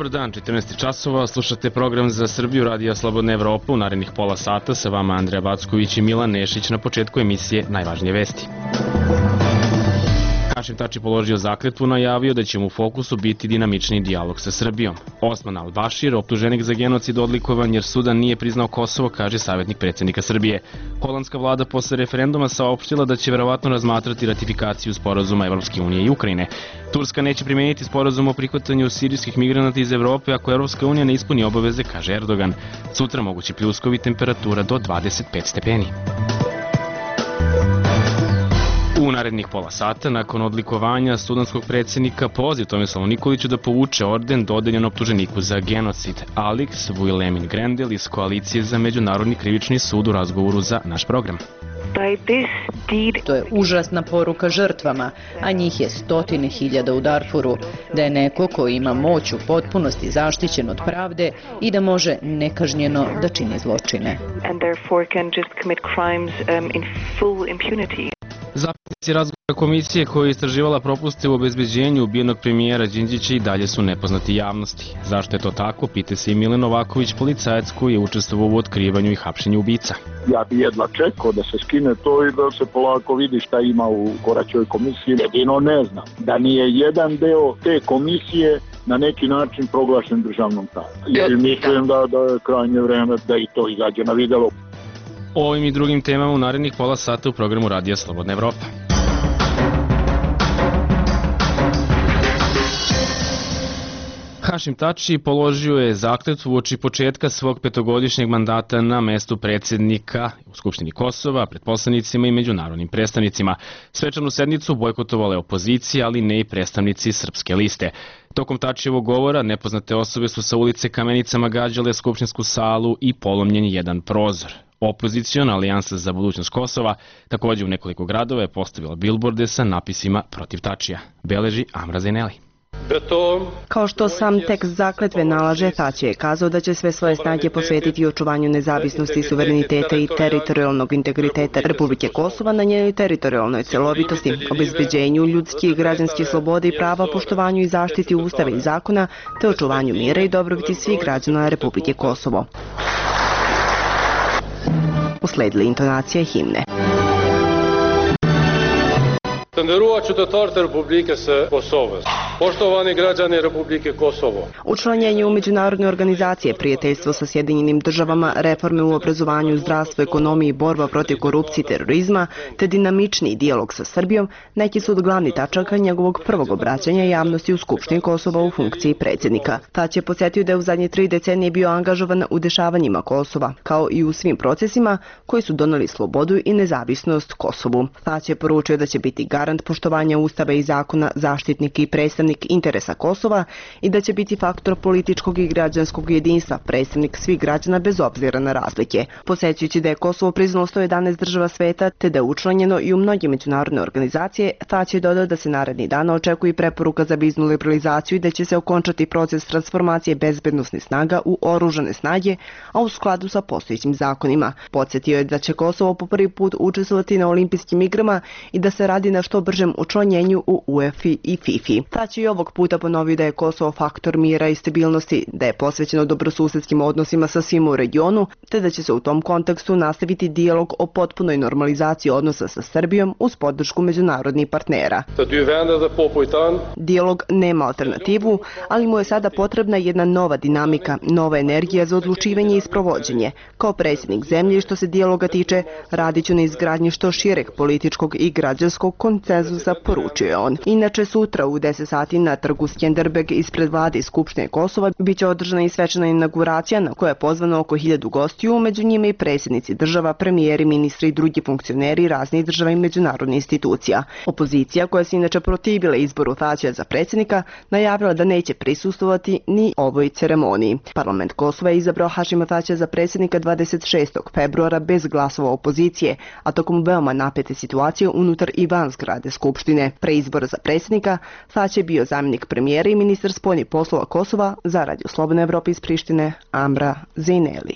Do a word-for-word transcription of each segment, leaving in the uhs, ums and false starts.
Dobar dan, četrnaest časova, slušate program za Srbiju Radija Slobodna Evropa. U narednih pola sata sa vama Andreja Backović i Milan Nešić. Na početku emisije najvažnije vesti. Hašim Tači položio zakletvu, najavio da će mu u fokusu biti dinamični dijalog sa Srbijom. Osman al-Bašir, optuženik za genocid, odlikovan jer Sudan nije priznao Kosovo, kaže savjetnik predsjednika Srbije. Holandska vlada posle referenduma saopštila da će verovatno razmatrati ratifikaciju sporazuma Evropske unije i Ukrajine. Turska neće primeniti sporazum o prihvatanju sirijskih migranata iz Evrope ako Evropska unija ne ispuni obaveze, kaže Erdogan. Sutra mogući pljuskovi, temperatura do dvadeset pet stepeni. U narednih pola sata, nakon odlikovanja sudanskog predsjednika, poziv Tomislavu Nikoliću da povuče orden dodeljen optuženiku za genocid. Alex Vuilemin-Grendel iz Koalicije za međunarodni krivični sud u razgovoru za naš program. To je užasna poruka žrtvama, a njih je stotine hiljada u Darfuru, da je neko ko ima moć u potpunosti zaštićen od pravde i da može nekažnjeno da čini zločine. Zapisnici razgovora komisije koja je istraživala propuste u obezbeđenju ubijenog premijera Đinđića i dalje su nepoznati javnosti. Zašto je to tako, pita se i Milan Novaković, policajac koji je učestvovao u otkrivanju i hapšenju ubica. Ja bi jedva čekao da se skine to i da se polako vidi šta ima u Koraćoj komisiji. Jedino ne znam da nije jedan deo te komisije na neki način proglašen državnom tajnom. Jer mislim da, da je krajnje vreme da i to izađe na videlo. O ovim i drugim temama u narednih pola sata u programu Radija Slobodna Evropa. Hašim Tači položio je zakletvu uoči početka svog petogodišnjeg mandata na mestu predsjednika u Skupštini Kosova, pred poslanicima i međunarodnim predstavnicima. Svečanu sednicu bojkotovala je opozicija, ali ne i predstavnici Srpske liste. Tokom Tačijevog govora nepoznate osobe su sa ulice kamenicama gađale skupštinsku salu i polomljen jedan prozor. Opoziciona alijansa za budućnost Kosova također u nekoliko gradova je postavila bilborde sa napisima protiv Tačija. Beleži Amra Zeneli. Kao što sam tekst zakletve nalaže, Tači je kazao da će sve svoje snage posvetiti očuvanju nezavisnosti, suvereniteta i teritorijalnog integriteta Republike Kosova na njenoj teritorijalnoj celovitosti, obezbeđenju ljudskih i građanskih sloboda i prava, poštovanju i zaštiti ustava i zakona, te očuvanju mira i dobrobiti svih građana Republike Kosovo. Usledile intonacije himne. Të nderuar qytetarët e Republikës së Kosovës, poštovani građani Republike Kosovo. Učlanjenje u međunarodne organizacije, prijateljstvo sa Sjedinjenim državama, reforme u obrazovanju, zdravstvu, ekonomiji, borba protiv korupcije i terorizma, te dinamični dijalog sa Srbijom, neki su od glavnih tačaka njegovog prvog obraćanja javnosti u Skupštini Kosova u funkciji predsjednika. Tači je podsjetio da je u zadnje tri decenije bio angažovan u dešavanjima Kosova, kao i u svim procesima koji su doneli slobodu i nezavisnost Kosovu. Tači je poručio da će biti garant poštovanja ustava i zakona, zaštitnik i predstavnik interesa Kosova i da će biti faktor političkog i građanskog jedinstva, predstavnik svih građana bez obzira na razlike. Podsjećajući da je Kosovo priznalo sto jedanaest država sveta te da je učlanjeno i u mnoge međunarodne organizacije, Tači je dodao da se narednih dana očekuje preporuka za viznu liberalizaciju i da će se okončati proces transformacije bezbednosnih snaga u oružane snage, a u skladu sa postojećim zakonima. Podsjetio je da će Kosovo po prvi put učestvovati na olimpijskim igrama i da se radi na što bržem učlanjenju u U E F I i FIFA. Tači je ovog puta ponovio da je Kosovo faktor mira i stabilnosti, da je posvećeno dobrosusedskim odnosima sa svima u regionu, te da će se u tom kontekstu nastaviti dijalog o potpunoj normalizaciji odnosa sa Srbijom uz podršku međunarodnih partnera. Dijalog nema alternativu, ali mu je sada potrebna jedna nova dinamika, nova energija za odlučivanje i sprovođenje. Kao predsjednik zemlje, što se dijaloga tiče, radit ću na izgradnji što šireg političkog i građanskog konsenzusa, poručio je on. Inače, sutra u deset sati na trgu Skenderbeg ispred vlade i Skupštine Kosova biće održana i svečana inauguracija na koja je pozvano oko hiljadu gostiju, među njima i predsjednici država, premijeri, ministri i drugi funkcioneri raznih država i međunarodnih institucija. Opozicija, koja se inače protivila izboru Tačija za predsjednika, najavila da neće prisustvovati ni ovoj ceremoniji. Parlament Kosova je izabrao Hašima Tačija za predsjednika dvadeset šestog februara bez glasova opozicije, a tokom veoma napete situacije unutar i van zgrade Skupštine. Pre izbora za predsjednika, Tači je bio zamjenik premijera i ministar spoljnih poslova Kosova. Za Radio Slobodna Evropa iz Prištine, Amra Zeneli.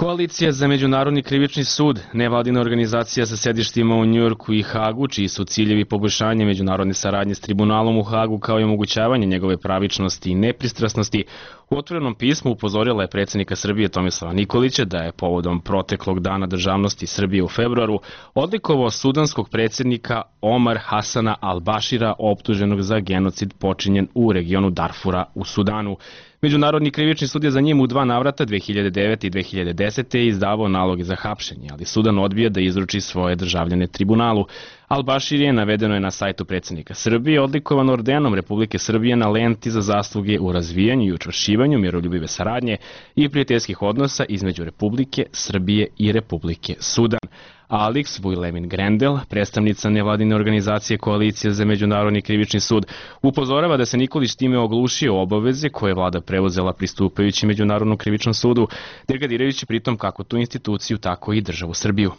Koalicija za međunarodni krivični sud, nevladina organizacija sa sedištima u Njujorku i Hagu, čiji su ciljevi poboljšanje međunarodne saradnje s tribunalom u Hagu kao i omogućavanje njegove pravičnosti i nepristrasnosti, u otvorenom pismu upozorila je predsjednika Srbije Tomislava Nikolića da je povodom proteklog dana državnosti Srbije u februaru odlikovao sudanskog predsjednika Omar Hasana al-Bashira, optuženog za genocid počinjen u regionu Darfura u Sudanu. Međunarodni krivični sud je za njim u dva navrata dve hiljade devete i dve hiljade desete izdavao naloge za hapšenje, ali Sudan odbija da izruči svoje državljane tribunalu. Al-Bashir je, navedeno je na sajtu predsjednika Srbije, odlikovan ordenom Republike Srbije na lenti za zasluge u razvijanju i učvršćivanju miroljubive saradnje i prijateljskih odnosa između Republike Srbije i Republike Sudan. Alex Vujlemin Grendel, predstavnica nevladine organizacije Koalicije za međunarodni krivični sud, upozorava da se Nikolić time oglušio obaveze koje je vlada preuzela pristupajući Međunarodnom krivičnom sudu, degradirajući pritom kako tu instituciju, tako i državu Srbiju.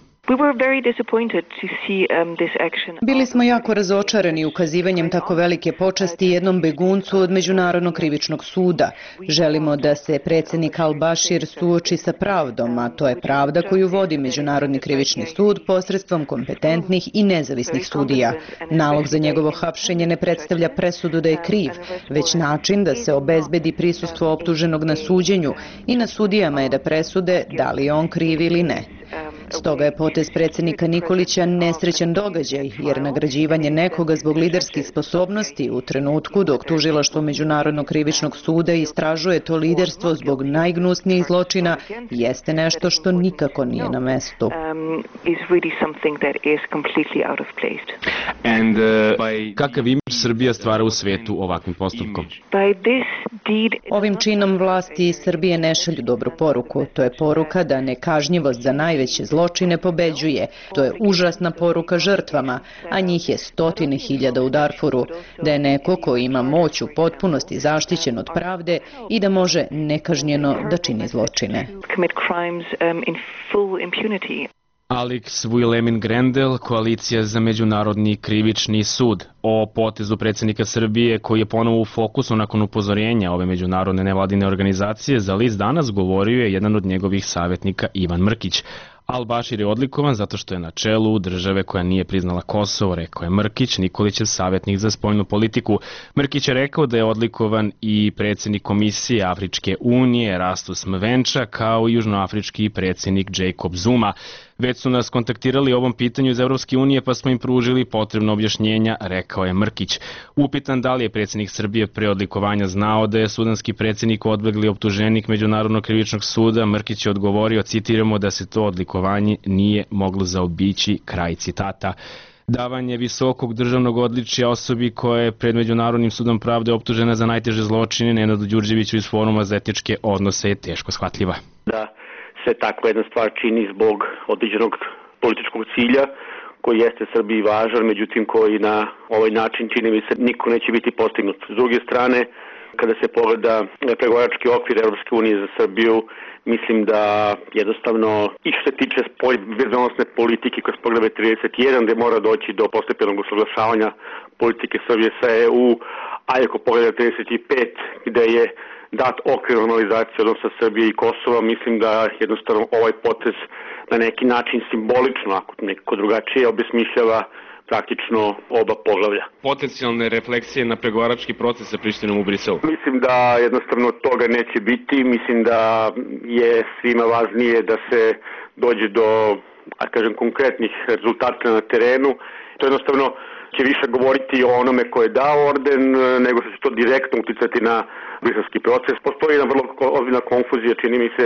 Bili smo jako razočarani ukazivanjem tako velike počasti jednom beguncu od Međunarodnog krivičnog suda. Želimo da se predsjednik al-Bashir suoči sa pravdom, a to je pravda koju vodi Međunarodni krivični sud posredstvom kompetentnih i nezavisnih sudija. Nalog za njegovo hapšenje ne predstavlja presudu da je kriv, već način da se obezbedi prisustvo optuženog na suđenju i na sudijama je da presude da li je on kriv ili ne. Stoga je potez predsjednika Nikolića nesrećan događaj, jer nagrađivanje nekoga zbog liderskih sposobnosti u trenutku dok tužilaštvo Međunarodnog krivičnog suda istražuje to liderstvo zbog najgnusnijih zločina jeste nešto što nikako nije na mestu. Kakav imidž Srbija stvara u svetu ovakvim postupkom? Ovim činom vlasti iz Srbije ne šalju dobru poruku. To je poruka da nekažnjivost za najveće zločine pobeđuje. To je užasna poruka žrtvama, a njih je stotine hiljada u Darfuru, da je neko ko ima moć u potpunosti zaštićen od pravde i da može nekažnjeno da čini zločine. Alex Vujlemin Grendel, Koalicija za međunarodni krivični sud. O potezu predsjednika Srbije, koji je ponovo u fokusu nakon upozorenja ove međunarodne nevladine organizacije, za list Danas govorio je jedan od njegovih savjetnika Ivan Mrkić. Al-Bashir je odlikovan zato što je na čelu države koja nije priznala Kosovo, rekao je Mrkić, Nikolićev savjetnik za spoljnu politiku. Mrkić je rekao da je odlikovan i predsjednik Komisije Afričke unije Rastus Mvenča, kao i južnoafrički predsjednik Jacob Zuma. Već su nas kontaktirali o ovom pitanju iz Evropske unije, pa smo im pružili potrebno objašnjenja, rekao je Mrkić. Upitan da li je predsjednik Srbije pre odlikovanja znao da je sudanski predsjednik odbegli optuženik Međunarodnog krivičnog suda, Mrkić je odgovorio, citiramo, da se to odlikovanje nije moglo zaobići, kraj citata. Davanje visokog državnog odličja osobi koja je pred Međunarodnim sudom pravde optužena za najteže zločine, Nenadu Đurđeviću iz Foruma za etičke odnose, je teško shvatljiva. Da se takva jedna stvar čini zbog određenog političkog cilja koji jeste Srbiji važan, međutim koji na ovaj način čini mi se niko neće biti postignut. S druge strane, kada se pogleda pregovarački okvir Evropske unije za Srbiju, mislim da jednostavno i što se tiče bezbednosne politike kroz poglavlje trideset jedan, gde mora doći do postepenog usaglašavanja politike Srbije sa E U, a ako pogleda trideset pet, gde je dat okvir normalizacije odnosa Srbije i Kosova, mislim da jednostavno ovaj potez na neki način simbolično, ako neko drugačije, obesmišljava praktično oba poglavlja. Potencijalne refleksije na pregovarački proces sa Prištinom u Briselu? Mislim da jednostavno toga neće biti. Mislim da je svima važnije da se dođe do, a kažem, konkretnih rezultata na terenu. To jednostavno će više govoriti o onome ko je dao orden, nego što će to direktno uticati na briselski proces. Postoji jedna vrlo ozbiljna konfuzija, čini mi se,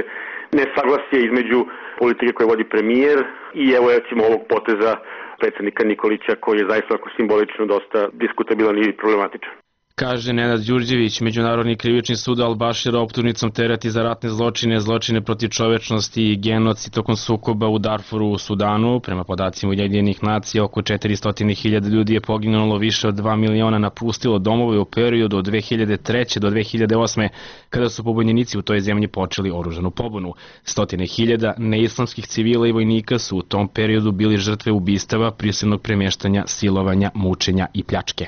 nesaglasje između politike koje vodi premijer i evo recimo ovog poteza predsjednika Nikolića, koji je zaista simbolično dosta diskutabilan i problematičan. Kaže Nenad Đurđević, Međunarodni krivični sud al-Bashira optužnicom tereti za ratne zločine, zločine protiv čovečnosti i genocid tokom sukoba u Darfuru u Sudanu. Prema podacima Ujedinjenih nacija, oko četiristo hiljada ljudi je poginulo, više od dva miliona napustilo domove u periodu od dve hiljade treće do dve hiljade osme, kada su pobunjenici u toj zemlji počeli oružanu pobunu. Stotine hiljada neislamskih civila i vojnika su u tom periodu bili žrtve ubistava, prisilnog premještanja, silovanja, mučenja i pljačke.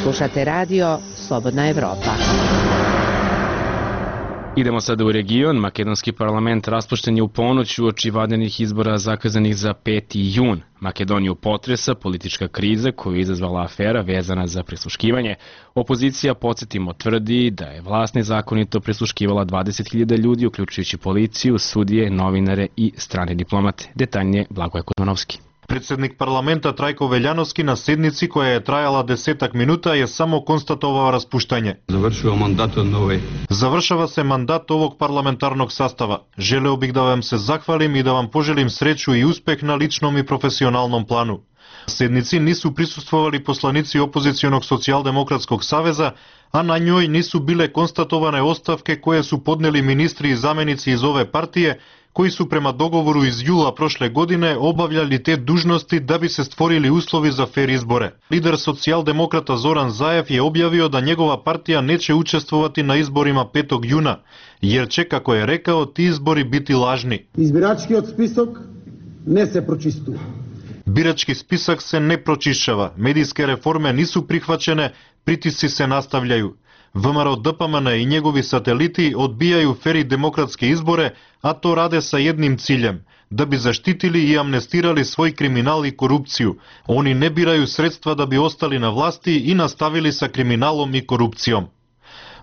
Slušate radio Slobodna Evropa. Idemo sada u region. Makedonski parlament raspušten je u ponoć uoči vanrednih izbora zakazanih za peti jun. Makedoniju potresa politička kriza koju je izazvala afera vezana za prisluškivanje. Opozicija, podsjetimo, tvrdi da je vlast nezakonito prisluškivala dvadeset hiljada ljudi, uključujući policiju, sudije, novinare i strane diplomate. Detaljnije Blagoje Kuzmanovski. Predsednik parlamenta Trajko Veljanovski na sednici koja je trajala desetak minuta je samo konstatovao raspuštanje. Završava mandat nove. Završava se mandat ovog parlamentarnog sastava. Želeo bih da vam se zahvalim i da vam poželim sreću i uspeh na ličnom i profesionalnom planu. Na sednici nisu prisustvovali poslanici opozicionog socijaldemokratskog saveza, a na njoj nisu bile konstatovane ostavke koje su podneli ministri i zamenici iz ove partije, koji su prema dogovoru iz jula prošle godine obavljali te dužnosti da bi se stvorili uslovi za fer izbore. Lider socijaldemokrata Zoran Zaev je objavio da njegova partija neće učestvovati na izborima petog juna, jer će, kako je rekao, ti izbori biti lažni. Избирачкиот список не се прочистува. Birački spisak se ne pročišćava, medijske reforme nisu prihvaćene, pritisci se nastavljaju. V M R O D P M N i njegovi sateliti odbijaju fer i demokratske izbore, a to rade sa jednim ciljem, da bi zaštitili i amnestirali svoj kriminal i korupciju. Oni ne biraju sredstva da bi ostali na vlasti i nastavili sa kriminalom i korupcijom.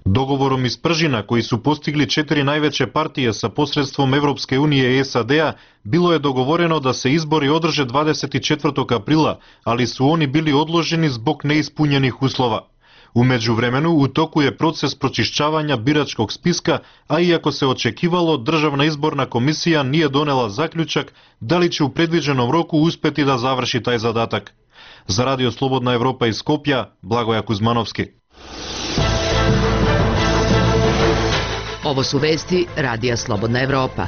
Dogovorom iz Pržina, koji su postigli četiri najveće partije sa posredstvom Evropske unije i S A D-a, bilo je dogovoreno da se izbori održe dvadeset četvrtog aprila, ali su oni bili odloženi zbog neispunjenih uslova. U međuvremenu u toku je proces pročišćavanja biračkog spiska, a iako se očekivalo, Državna izborna komisija nije donela zaključak da li će u predviđenom roku uspeti da završi taj zadatak. Za Radio Slobodna Evropa iz Skopja, Blagoje Kuzmanovski. Ovo su vesti Radija Slobodna Evropa.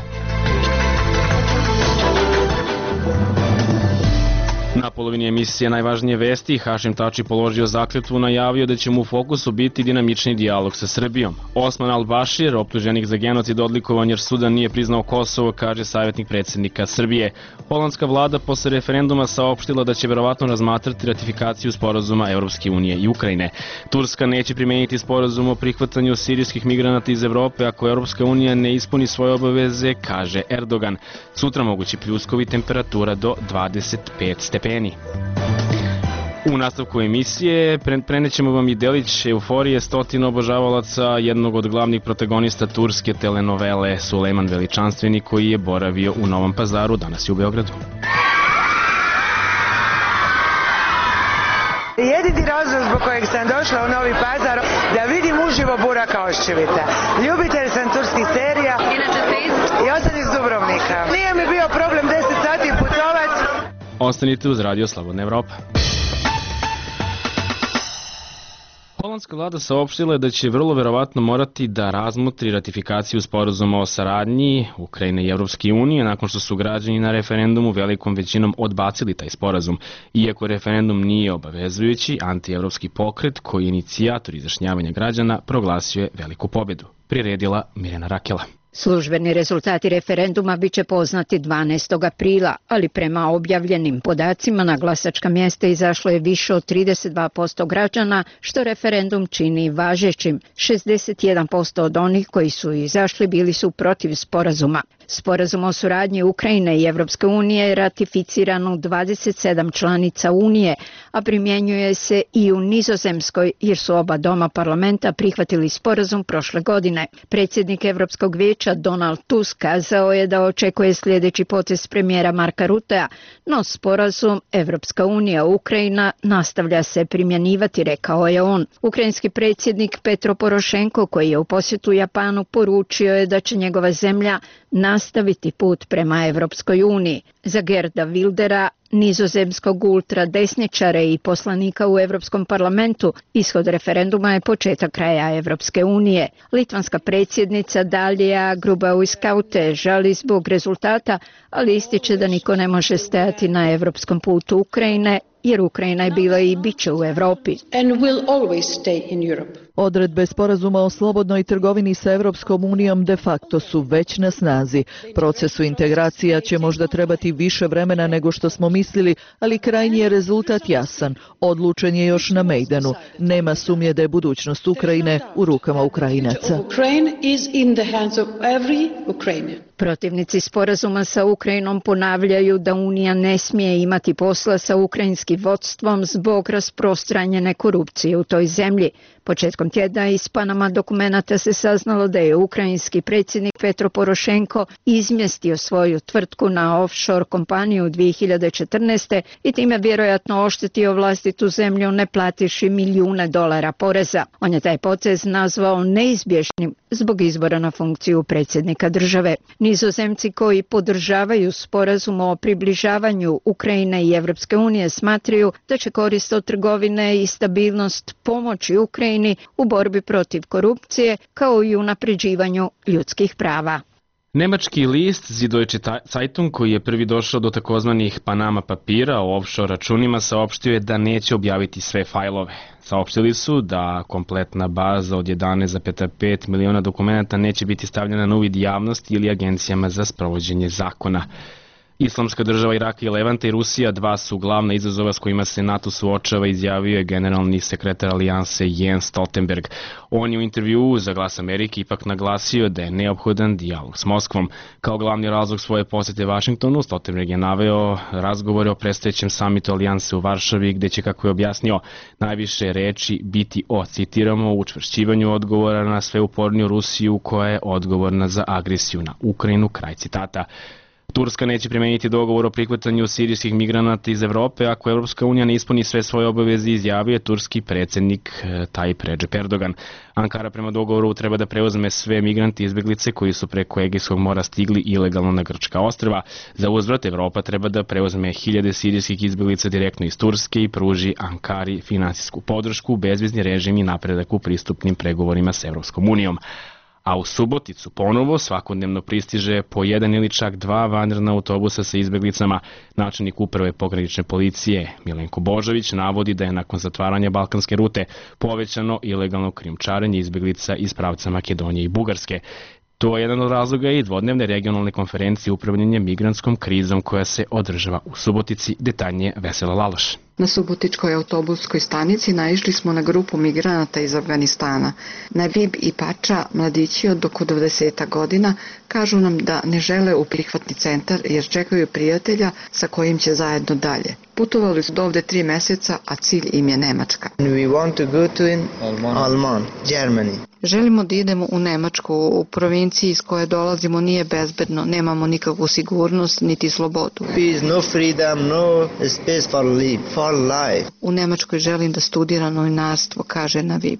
Na polovini emisije Najvažnije vesti Hašim Tači položio zakletvu, najavio da će mu u fokusu biti dinamični dijalog sa Srbijom. Osman al-Bašir, optuženik za genocid, odlikovan jer Sudan nije priznao Kosovo, kaže savjetnik predsjednika Srbije. Holandska vlada posle referenduma saopštila da će verovatno razmatrati ratifikaciju sporazuma Evropske unije i Ukrajine. Turska neće primeniti sporazum o prihvatanju sirijskih migranata iz Evrope ako Evropska unija ne ispuni svoje obaveze, kaže Erdogan. Sutra mogući pljuskovi, temperatura do dvadeset pet stepeni. U nastavku emisije prenećemo vam i delić euforije stotina obožavalaca jednog od glavnih protagonista turske telenovele Sulejman Veličanstveni, koji je boravio u Novom Pazaru, danas je u Beogradu. Jedini razlog zbog kojeg sam došla u Novi Pazar da vidim uživo Buraka Oščevića. Ljubitelj sam turskih serija i osam iz Dubrovnika. Nije mi bio problem deset sati putovat. Ostanite uz Radio Slobodna Evropa. Holandska vlada saopštila je da će vrlo verovatno morati da razmotri ratifikaciju sporazuma o saradnji Ukrajine i Evropske unije nakon što su građani na referendumu velikom većinom odbacili taj sporazum. Iako referendum nije obavezujući, antievropski pokret koji je inicijator izjašnjavanja građana proglasio je veliku pobedu. Priredila Mirjana Rakela. Službeni rezultati referenduma biće poznati dvanaestog aprila, ali prema objavljenim podacima na glasačka mjesta izašlo je više od trideset dva posto građana, što referendum čini važećim. šezdeset jedan posto od onih koji su izašli bili su protiv sporazuma. Sporazum o suradnji Ukrajine i Evropske unije je ratificiran u dvadeset sedam članica Unije, a primjenjuje se i u Nizozemskoj, jer su oba doma parlamenta prihvatili sporazum prošle godine. Predsjednik Evropskog vijeća Donald Tusk kazao je da očekuje sljedeći potez premijera Marka Rutea, no sporazum Evropska unija Ukrajina nastavlja se primjenjivati, rekao je on. Ukrajinski predsjednik Petro Porošenko, koji je u posjetu Japanu, poručio je da će njegova zemlja nastaviti put prema Evropskoj uniji. Za Gerda Wildera, nizozemskog ultradesničara i poslanika u Evropskom parlamentu, ishod referenduma je početak kraja Evropske unije. Litvanska predsjednica Dalija Grubauskaite žali zbog rezultata, ali ističe da niko ne može stajati na evropskom putu Ukrajine jer Ukrajina je bila i bit će u Evropi. Odredbe sporazuma o slobodnoj trgovini sa Evropskom unijom de facto su već na snazi. Procesu integracija će možda trebati više vremena nego što smo mislili, ali krajnji je rezultat jasan. Odlučen je još na Mejdanu. Nema sumnje da je budućnost Ukrajine u rukama Ukrajinaca. Protivnici sporazuma sa Ukrajinom ponavljaju da Unija ne smije imati posla sa ukrajinskim vodstvom zbog rasprostranjene korupcije u toj zemlji. Početkom tjedna iz Panama dokumenata se saznalo da je ukrajinski predsjednik Petro Porošenko izmjestio svoju tvrtku na offshore kompaniju dvije hiljade četrnaeste. i time vjerojatno oštetio vlastitu zemlju ne platiši milijune dolara poreza. On je taj potez nazvao neizbježnim zbog izbora na funkciju predsjednika države. Nizozemci koji podržavaju sporazum o približavanju Ukrajine i Evropske unije smatraju da će korist od trgovine i stabilnost pomoći Ukrajini u borbi protiv korupcije kao i u unapređivanju ljudskih prava. Nemački list Süddeutsche Zeitung, koji je prvi došao do takozvanih Panama papira o offshore računima, saopštio je da neće objaviti sve fajlove. Saopštili su da kompletna baza od jedanaest zarez pet miliona dokumenta neće biti stavljena na uvid javnosti ili agencijama za sprovođenje zakona. Islamska država Iraka i Levanta i Rusija dva su glavna izazova s kojima se NATO suočava, izjavio je generalni sekretar alijanse Jens Stoltenberg. On je u intervjuu za Glas Amerike ipak naglasio da je neophodan dijalog s Moskvom. Kao glavni razlog svoje posjete Vašingtonu, Stoltenberg je naveo razgovore o predstojećem samitu alijanse u Varšavi, gde će, kako je objasnio, najviše reči biti o, citiramo, učvršćivanju odgovora na sve uporniju Rusiju koja je odgovorna za agresiju na Ukrajinu, kraj citata. Turska neće primeniti dogovor o prihvatanju sirijskih migranata iz Evrope ako Evropska unija ne ispuni sve svoje obaveze, izjavio je turski predsjednik Tayyip Recep Erdogan. Ankara prema dogovoru treba da preuzme sve migranti i izbeglice koji su preko Egejskog mora stigli ilegalno na grčka ostrva. Za uzvrat Evropa treba da preuzme hiljade sirijskih izbeglica direktno iz Turske i pruži Ankari finansijsku podršku, bezvizni režim i napredak u pristupnim pregovorima s Evropskom unijom. A u Suboticu ponovo svakodnevno pristiže po jedan ili čak dva vanredna autobusa sa izbeglicama. Načelnik uprave pogranične policije Milenko Božović navodi da je nakon zatvaranja balkanske rute povećano ilegalno krijumčarenje izbeglica iz pravca Makedonije i Bugarske. To je jedan od razloga i dvodnevne regionalne konferencije upravljanja migrantskom krizom koja se održava u Subotici, detaljnije Vesela Laloš. Na subotičkoj autobuskoj stanici naišli smo na grupu migranata iz Afganistana. Nabib i Pača, mladići od oko dvadeset godina, kažu nam da ne žele u prihvatni centar jer čekaju prijatelja sa kojim će zajedno dalje. Putovali su do ovde tri meseca, a cilj im je Nemačka. We want to go to in Alman, Germany. Želimo da idemo u Nemačku. U provinciji iz koje dolazimo nije bezbedno, nemamo nikakvu sigurnost niti slobodu. Peace, no freedom, no space for life, for life. U Nemačkoj želim da studiram novinarstvo, kaže Navib.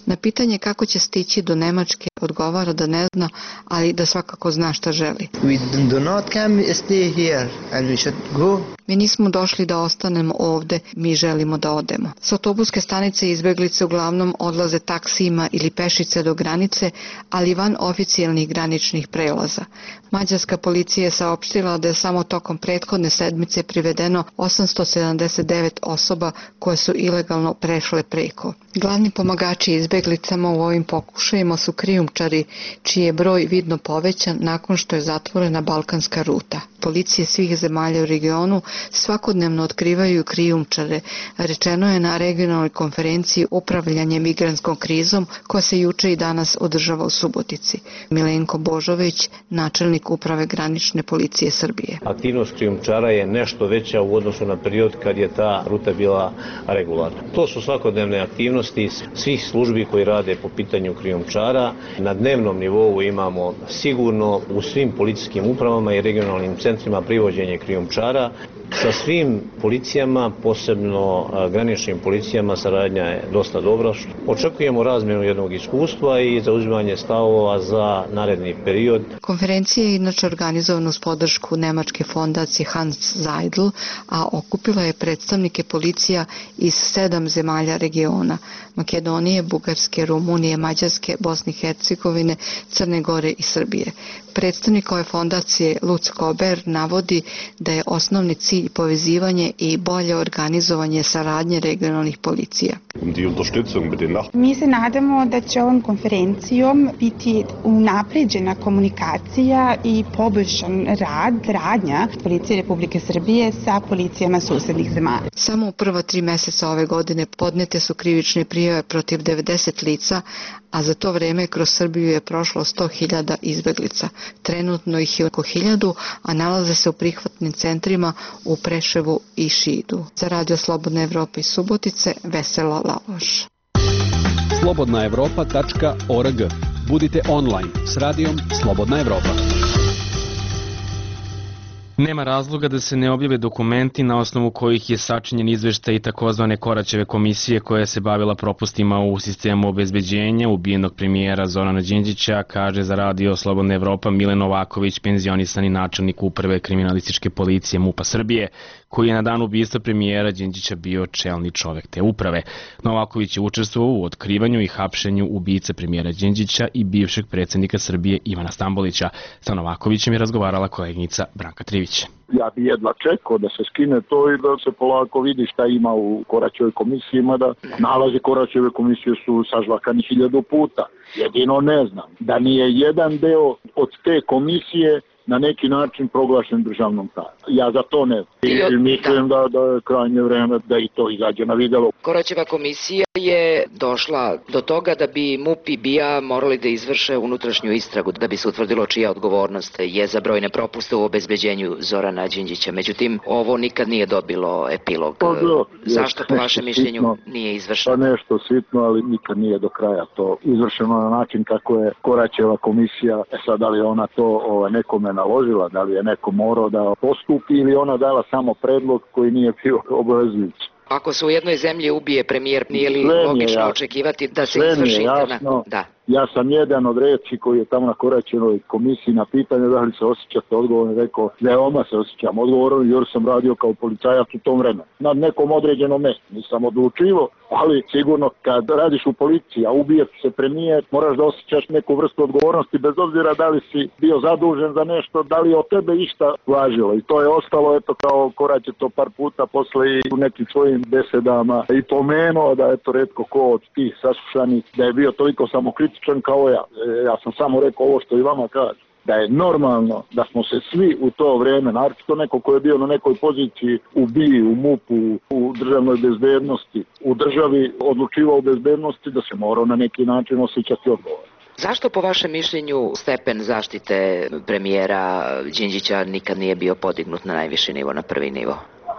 Na pitanje kako će stići do Nemačke odgovara da ne zna, ali da svakako zna šta želi. We do not come stay here and we should go. Mi nismo došli da ostanemo ovde, mi želimo da odemo. S autobuske stanice izbeglice uglavnom odlaze taksijima ili pešice do granice, ali van oficijalnih graničnih prelaza. Mađarska policija je saopštila da je samo tokom prethodne sedmice privedeno osamsto sedamdeset devet osoba koje su ilegalno prešle preko. Glavni pomagači izbeglicama u ovim pokušajima su krijumčari, čiji je broj vidno povećan nakon što je zatvorena balkanska ruta. Policije svih zemalja u regionu svakodnevno otkrivaju krijumčare, rečeno je na regionalnoj konferenciji upravljanje migrantskom krizom koja se juče i danas održava u Subotici. Milenko Božović, načelnik uprave granične policije Srbije. Aktivnost krijumčara je nešto veća u odnosu na period kad je ta ruta bila regularna. To su svakodnevne aktivnosti svih službi koji rade po pitanju krijumčara. Na dnevnom nivou imamo sigurno u svim policijskim upravama i regionalnim centrima privođenje krijumčara. Sa svim policijama, posebno graničnim policijama, saradnja je dosta dobra. Očekujemo razmjenu jednog iskustva i zauzimanje stavova za naredni period. Konferencija je inače organizovana uz podršku nemačke fondacije Hans Seidel, a okupila je predstavnike policija iz sedam zemalja regiona: Makedonije, Bugarske, Rumunije, Mađarske, Bosne i Hercegovine, Crne Gore i Srbije. Predstavnik ove fondacije Lutz Kober navodi da je osnovni cilj cilj povezivanje i bolje organizovanje saradnje regionalnih policija. Mi se nadamo da će ovom konferencijom biti unapređena komunikacija i poboljšan rad, radnja Policije Republike Srbije sa policijama susednih zemalja. Samo u prva tri meseca ove godine podnete su krivične prijave protiv devedeset lica, a za to vreme kroz Srbiju je prošlo sto hiljada izbeglica. Trenutno ih je oko hiljadu, a nalaze se u prihvatnim centrima u Preševu i Šidu. Za Radio Slobodna Evropa iz Subotice, Vesela Laloš. slobodna evropa tačka org. Budite online s radijom Slobodna Evropa. Nema razloga da se ne objave dokumenti na osnovu kojih je sačinjen izveštaj takozvane Koraćeve komisije koja se bavila propustima u sistemu obezbeđenja ubijenog premijera Zorana Đinđića, kaže za Radio Slobodna Evropa Milen Novaković, penzionisani načelnik uprave kriminalističke policije MUP-a Srbije, koji je na dan ubistva premijera Đinđića bio čelni čovek te uprave. Novaković je učestvovao u otkrivanju i hapšenju ubice premijera Đinđića i bivšeg predsjednika Srbije Ivana Stambolića. Sa Novakovićem je razgovarala koleginica Branka Trivić. Ja bi jedva čekao da se skine to i da se polako vidi šta ima u Koraćevoj komisiji, mada nalazi Koraćeve komisije su sažvakani hiljadu puta. Jedino ne znam da nije jedan deo od te komisije na neki način proglašen državnom tajnom. Ja za to ne znam. I mislim da, da je krajnje vreme da i to izađe na videlo. Koraćeva komisija je došla do toga da bi MUP i B I A morali da izvrše unutrašnju istragu da bi se utvrdilo čija odgovornost je za brojne propuste u obezbeđenju Zorana Đinđića. Međutim, ovo nikad nije dobilo epilog. Pa, da, Zašto po vašem mišljenju sitno, nije izvršeno? Pa nešto sitno, ali nikad nije do kraja to izvršeno na način kako je Koraćeva komisija. E sad, da li ona to o, nekome naložila, da li je neko morao da postupi ili ona dala samo predlog koji nije bio obavezujući. Ako se u jednoj zemlji ubije premijer, nije li logično očekivati da se izvrši interna... Da. Ja sam jedan od reći koji je tamo na Koraćevoj komisiji na pitanje da li se osjećate odgovorno, rekao veoma se osjećam odgovorno jer sam radio kao policajac u tom vremenu. Na nekom određenom mjestu nisam odlučivo, ali sigurno kad radiš u policiji, a ubije se premijer, moraš da osjećaš neku vrstu odgovornosti bez obzira da li si bio zadužen za nešto, da li je od tebe išta važilo. I to je ostalo, eto kao Korać je to par puta posle i u nekim svojim besedama i pomenuo da je to retko ko od tih saslušanih, da je bio toliko samokritičan kao ja. Ja sam samo rekao ovo što i vama kaže. Da je normalno da smo se svi u to vreme, naročito neko ko je bio na nekoj poziciji u B I, u MUP-u, u državnoj bezbednosti, u državi odlučivao o bezbednosti, da se morao na neki način osjećati odgovor. Zašto po vašem mišljenju stepen zaštite premijera Đinđića nikad nije bio podignut na najviši nivo, na prvi nivo?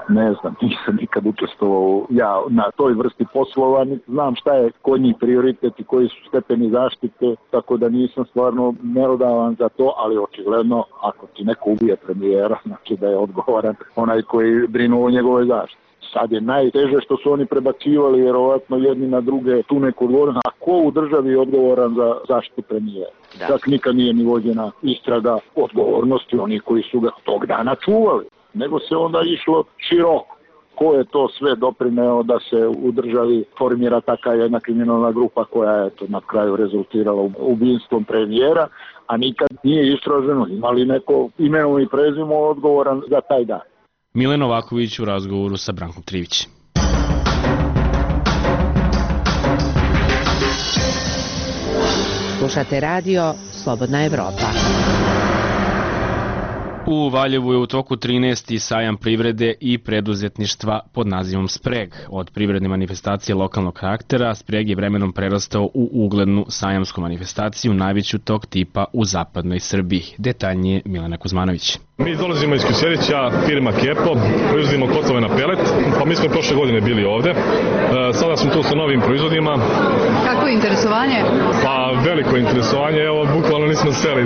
Ne znam, nisam nikad učestvovao ja na toj vrsti poslova, znam šta je kod njih prioritet i koji su stepeni zaštite, tako da nisam stvarno merodavan za to, ali očigledno ako ti neko ubije premijera, znači da je odgovoran onaj koji brinu o njegove zaštite. Sad je najteže što su oni prebacivali vjerovatno jedni na druge tu neku odgovornost, a ko u državi je odgovoran za zaštitu premijera? Da. Čak nikad nije ni vođena istraga odgovornosti onih koji su ga tog dana čuvali, nego se onda išlo široko. Ko je to sve doprineo da se u državi formira taka jedna kriminalna grupa koja je to na kraju rezultirala ubijstvom premijera, a nikad nije istraženo imali neko imenom i prezimom odgovoran za taj dan. Milen Novaković u razgovoru sa Brankom Trivić. Slušate radio Slobodna Evropa. U Valjevu je u toku trinaesti sajam privrede i preduzetništva pod nazivom Spreg. Od privredne manifestacije lokalnog karaktera, Spreg je vremenom prerastao u uglednu sajamsku manifestaciju, najveću tog tipa u zapadnoj Srbiji. Detaljnije Milena Kuzmanović. Mi dolazimo iz Kosjerića, firma Kepo, proizvodimo kotlove na pelet, pa mi smo prošle godine bili ovde. E, sada smo tu sa novim proizvodima. Kako je interesovanje? Pa veliko interesovanje, evo bukvalno nismo seli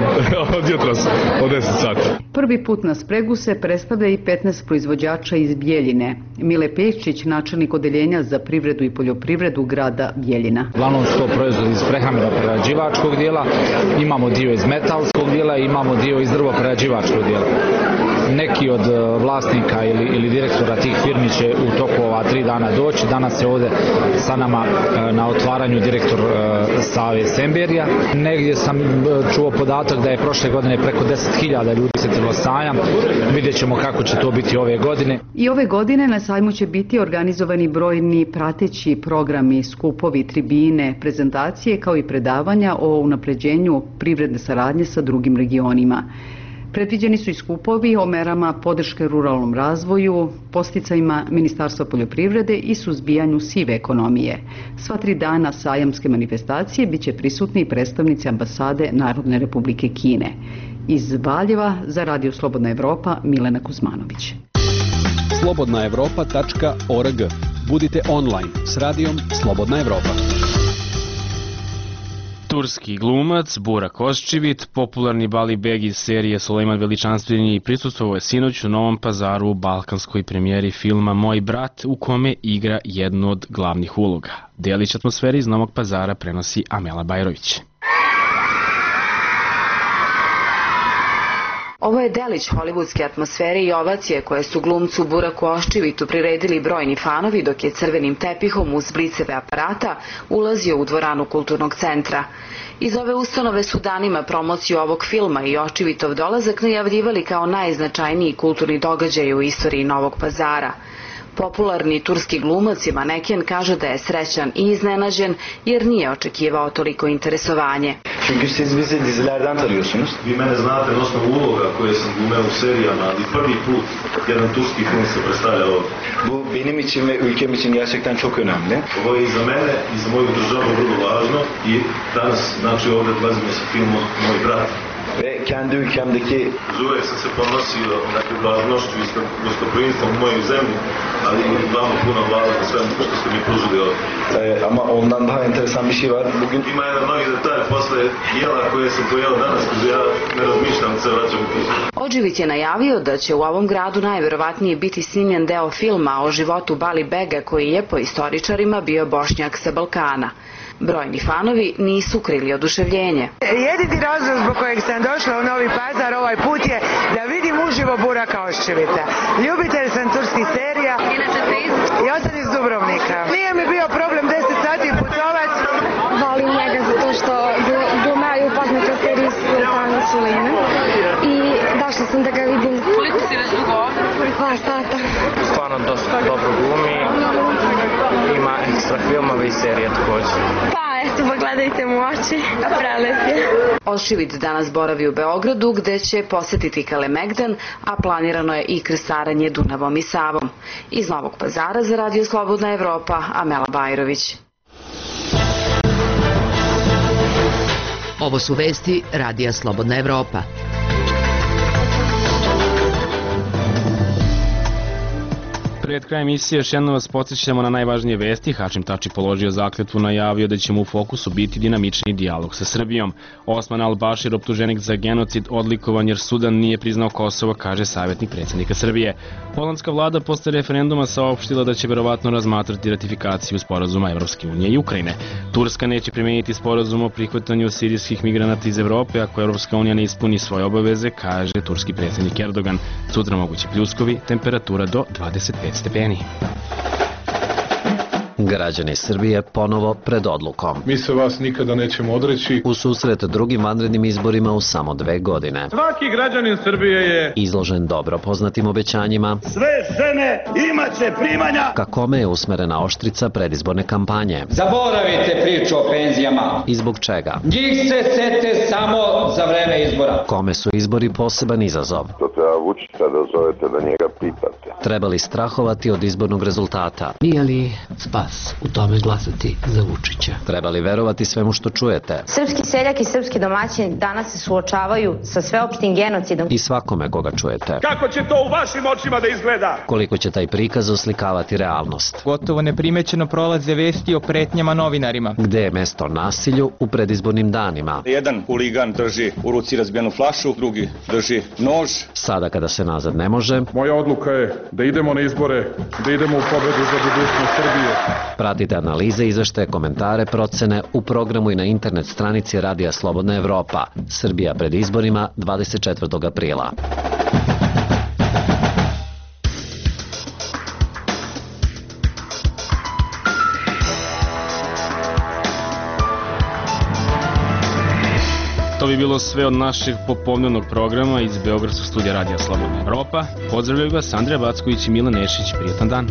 od jutros, od deset sati. Prvi put na Spregu se predstavlja i petnaest proizvođača iz Bjeljine. Mile Peščić, načelnik odeljenja za privredu i poljoprivredu grada Bjeljina. Uglavnom su to proizvodi iz prehrambeno-prerađivačkog dijela, imamo dio iz metalskog dijela i imamo dio iz drvo-prerađivačkog dijela. neki od vlasnika ili, ili direktora tih firmi će u toku ova tri dana doći. Danas je ovde sa nama na otvaranju direktor Save Semberija. Negdje sam čuo podatak da je prošle godine preko deset hiljada ljudi setilo sajam. Vidjet ćemo kako će to biti ove godine. I ove godine na sajmu će biti organizovani brojni prateći programi, skupovi, tribine, prezentacije kao i predavanja o unapređenju privredne saradnje sa drugim regionima. Predviđeni su i skupovi o merama podrške ruralnom razvoju, podsticajima Ministarstva poljoprivrede i suzbijanju sive ekonomije. Sva tri dana sajamske manifestacije biće prisutni i predstavnici ambasade Narodne Republike Kine. Iz Valjeva za Radio Slobodna Evropa Milena Kuzmanović. slobodna evropa tačka org. Budite online s radijom Slobodna Evropa. Turski glumac Burak Ozčivit, popularni Bali Beg iz serije Sulejman Veličanstveni, prisustvovao je sinoć u Novom Pazaru u balkanskoj premijeri filma Moj brat, u kome igra jednu od glavnih uloga. Delić atmosfere iz Novog Pazara prenosi Amela Bajrović. Ovo je delić hollywoodske atmosfere i ovacije koje su glumcu Buraku Ozčivitu priredili brojni fanovi dok je crvenim tepihom uz bliceve aparata ulazio u dvoranu kulturnog centra. Iz ove ustanove su danima promociju ovog filma i Ozčivitov dolazak najavljivali kao najznačajniji kulturni događaj u istoriji Novog Pazara. Popularni turski glumac i maneken kaže da je srećan i iznenađen jer nije očekivao toliko interesovanje. Çünkü siz bizi dizilerden tanıyorsunuz. Vi mene znate na osnovu uloga koje sam glumeo u serijama, ali prvi put jedan turski film se predstavlja ovdje. Bu benim için ve ülkem için gerçekten çok önemli. Ovo je i za mene i za moju državu vrlo važno i danas znači ovdje dolazimo sa filmom Moj brat. Ve kendi ülkemdeki uvek sam se ponosio dakle, važnošću i gostoprimstvom u moju zemlju, ali vama puno hvala za sve što ste mi pružili ovdje. E, ama ondan daha enteresan bir şey var. Bugün ima jedan novi detalj posle jela koje sam pojela danas, kada ja ne razmišljam da se vraćam u kuću. Ozčivit je najavio da će u ovom gradu najverovatnije biti snimljen deo filma o životu Bali Bega koji je po istoričarima bio Bošnjak sa Balkana. Brojni fanovi nisu krili oduševljenje. Jedini razlog zbog kojeg sam došla u Novi Pazar ovaj put je da vidim uživo Buraka Ozčivita. Ljubitelj sam turskih serija. Inače ste iz? Ja sam iz Dubrovnika. Nije mi bio problem deset sati putovat. Volim njega zato što glumaju poznate serije Sultana Sulejman i došla sam da ga vidim. Koliko si već dugo ovdje? Dva sata. Stvarno dosta dobro glumi. Ima ekstra filmove i serije također. Pa eto, pogledajte mu oči, prelep je. Ozčivit danas boravi u Beogradu gde će posetiti Kalemegdan, a planirano je i krstarenje Dunavom i Savom. Iz Novog Pazara za Radio Slobodna Evropa, Amela Bajrović. Ovo su vesti Radija Slobodna Evropa. Pred krajem emisije još jednom vas podsjećamo na najvažnije vesti. Hašim Tači položio zakletvu, najavio da će mu u fokusu biti dinamični dijalog sa Srbijom. Osman al-Bašir, optuženik za genocid, odlikovan jer Sudan nije priznao Kosovo, kaže savjetnik predsjednika Srbije. Holandska vlada posle referenduma saopštila da će verovatno razmatrati ratifikaciju sporazuma Evropske unije i Ukrajine. Turska neće primeniti sporazum o prihvatanju sirijskih migranata iz Evrope ako Evropska unija ne ispuni svoje obaveze, kaže turski predsjednik Erdogan. Sutra mogući pljuskovi, temperatura do dvadeset pet stepeni. Građani Srbije ponovo pred odlukom. Mi se vas nikada nećemo odreći. U susret drugim vanrednim izborima u samo dve godine. Svaki građanin Srbije je izložen dobro poznatim obećanjima. Sve žene imaće primanja. Ka kome je usmerena oštrica predizborne kampanje. Zaboravite priču o penzijama. I zbog čega? Njih se sete samo za vreme izbora. Kome su izbori poseban izazov? To treba Vučića da zovete da njega pitate. Treba li strahovati od izbornog rezultata? Nije li spas u tome glasati za Vučića? Treba li verovati svemu što čujete? Srpski seljak i srpski domaćin danas se suočavaju sa sveopštim genocidom. I svakome koga čujete. Kako će to u vašim očima da izgleda? Koliko će taj prikaz oslikavati realnost? Gotovo neprimećeno prolaze vesti o pretnjama novinarima. Gde je mesto nasilju u predizbornim danima? Jedan huligan drži u ruci razbijenu flašu, drugi drži nož. Sada kada se nazad ne može. Moja odluka je da idemo na izbore, da idemo u pobedu za budućnost Srbije. Pratite analize, izveštaje, komentare, procene u programu i na internet stranici Radija Slobodna Evropa. Srbija pred izborima dvadeset četvrtog aprila. to bi bilo sve od našeg popodnevnog programa iz Beogradskog studija Radija Slobodna Evropa. Pozdravljaju vas Andrija Backović i Milan Nešić. Prijetan dan.